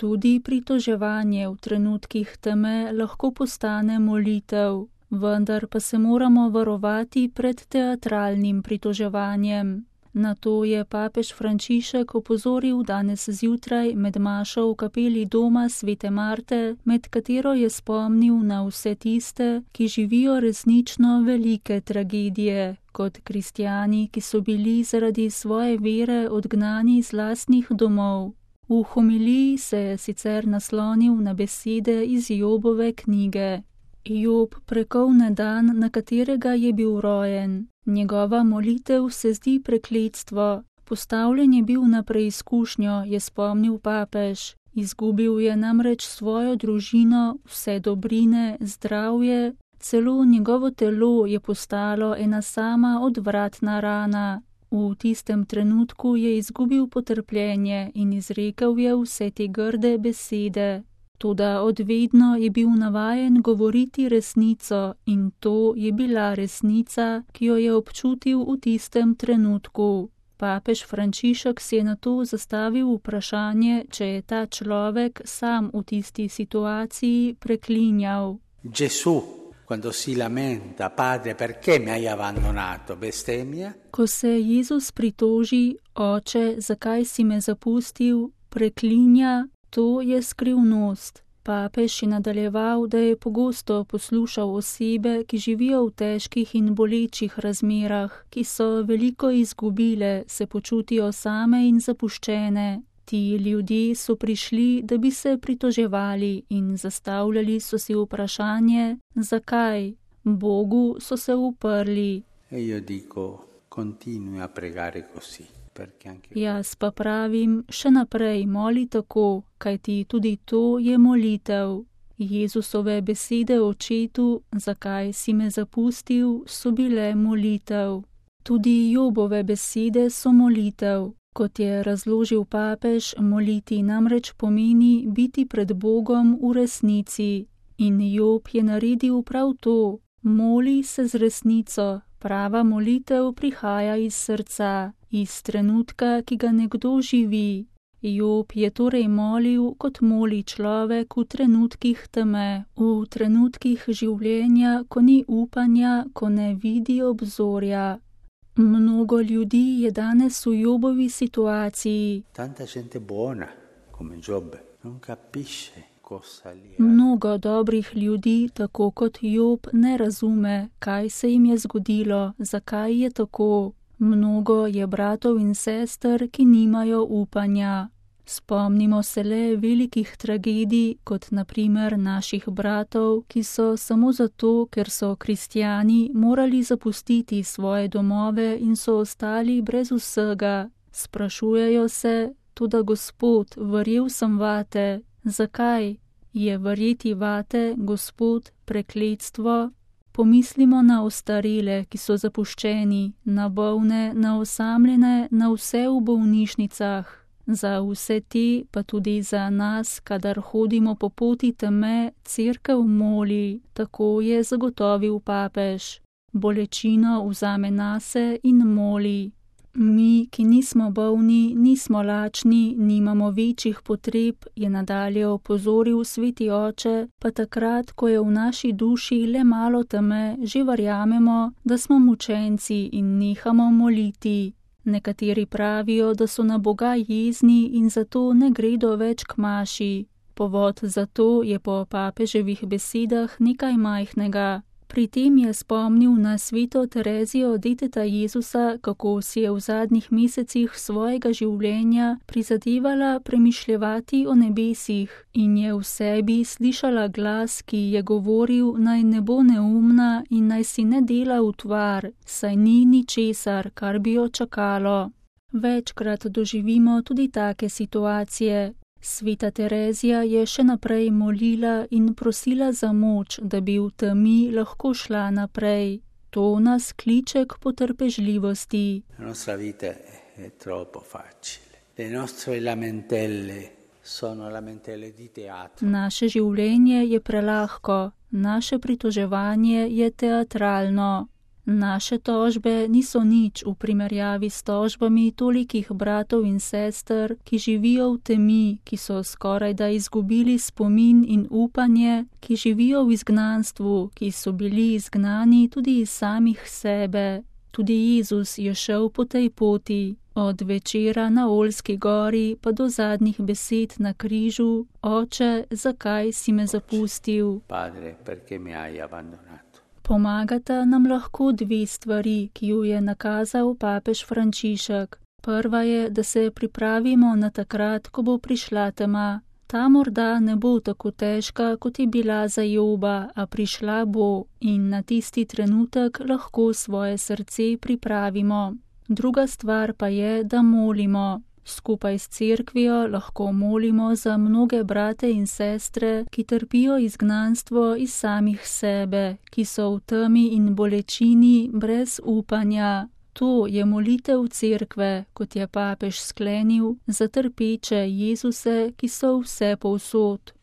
Tudi pritoževanje v trenutkih teme lahko postane molitev, vendar pa se moramo varovati pred teatralnim pritoževanjem. Na to je papež Frančišek opozoril danes zjutraj med mašo v kapeli doma Svete Marte, med katero je spomnil na vse tiste, ki živijo resnično velike tragedije, kot kristjani, ki so bili zaradi svoje vere odgnani z lastnih domov. V homiliji se je sicer naslonil na besede iz Jobove knjige. Job prekolne dan, na katerega je bil rojen. Njegova molitev se zdi prekletstvo. Postavljen je bil na preizkušnjo, je spomnil papež. Izgubil je namreč svojo družino, vse dobrine, zdravje, celo njegovo telo je postalo ena sama odvratna rana. V tistem trenutku je izgubil potrpljenje in izrekel je vse te grde besede. Toda odvedno je bil navajen govoriti resnico in to je bila resnica, ki jo je občutil v tistem trenutku. Papež Frančišek si je nato zastavil vprašanje, če je ta človek sam v tisti situaciji preklinjal. Gesù, quando si lamenta, Padre, perché mi hai abbandonato, bestemmia? Ko se Jezus pritoži, Oče, zakaj si me zapustil, preklinja, to je skrivnost. Papež je nadaljeval, da je pogosto poslušal osebe, ki živijo v težkih in bolečih razmerah, ki so veliko izgubile, se počutijo same in zapuščene. Ti ljudje so prišli, da bi se pritoževali in zastavljali so si vprašanje, zakaj. Bogu so se uprli. Io dico, continui a pregare così. Jaz pa pravim, še naprej moli tako, kajti tudi to je molitev. Jezusove besede očetu, zakaj si me zapustil, so bile molitev. Tudi Jobove besede so molitev. Kot je razložil papež, moliti namreč pomeni biti pred Bogom v resnici. In Job je naredil prav to. Moli se z resnico. Prava molitev prihaja iz srca, iz trenutka, ki ga nekdo živi. Job je torej molil, kot moli človek v trenutkih teme, v trenutkih življenja, ko ni upanja, ko ne vidi obzorja. Mnogo ljudi je danes v Jobovi situaciji. Tanta gente buona, come Job, non capisce. Mnogo dobrih ljudi, tako kot Job, ne razume, kaj se jim je zgodilo, zakaj je tako. Mnogo je bratov in sester, ki nimajo upanja. Spomnimo se le velikih tragedij, kot na primer naših bratov, ki so samo zato, ker so kristjani, morali zapustiti svoje domove in so ostali brez vsega. Sprašujejo se, toda Gospod, verjel sem vate. Zakaj? Je verjeti vate, Gospod, prekletstvo? Pomislimo na ostarele, ki so zapuščeni, na bolne, na osamljene, na vse v bolnišnicah. Za vse te, pa tudi za nas, kadar hodimo po poti teme, cerkev moli, tako je zagotovil papež. Bolečino vzame nase in moli. Mi, ki nismo bolni, nismo lačni, nimamo večjih potreb, je nadalje opozoril sveti oče, pa takrat, ko je v naši duši le malo teme, že verjamemo, da smo mučenci in nehamo moliti. Nekateri pravijo, da so na Boga jezni in zato ne gredo več k maši. Povod za to je po papeževih besedah nekaj majhnega. Pri tem je spomnil na sveto Terezijo deteta Jezusa, kako si je v zadnjih mesecih svojega življenja prizadevala premišljevati o nebesih in je v sebi slišala glas, ki je govoril, naj ne bo neumna in naj si ne dela utvar, saj ni ničesar, kar bi jo čakalo. Večkrat doživimo tudi take situacije. Sveta Terezija je še naprej molila in prosila za moč, da bi v temi lahko šla naprej. To nas kliče k potrpežljivosti. Nostra vita è troppo facile. Le nostre lamentele sono lamentele di teatro. Naše življenje je prelahko, naše pritoževanje je teatralno. Naše tožbe niso nič v primerjavi s tožbami tolikih bratov in sester, ki živijo v temi, ki so skorajda izgubili spomin in upanje, ki živijo v izgnanstvu, ki so bili izgnani tudi iz samih sebe. Tudi Jezus je šel po tej poti, od večera na Oljski gori pa do zadnjih besed na križu: Oče, zakaj si me zapustil? Padre, perché mi hai abbandonato? Pomagata nam lahko dve stvari, ki ju je nakazal papež Frančišek. Prva je, da se pripravimo na takrat, ko bo prišla tema. Ta morda ne bo tako težka, kot je bila za Joba, a prišla bo in na tisti trenutek lahko svoje srce pripravimo. Druga stvar pa je, da molimo. Skupaj s cerkvijo lahko molimo za mnoge brate in sestre, ki trpijo izgnanstvo iz samih sebe, ki so v temi in bolečini brez upanja. To je molitev cerkve, kot je papež sklenil, za trpeče Jezuse, ki so vse povsod.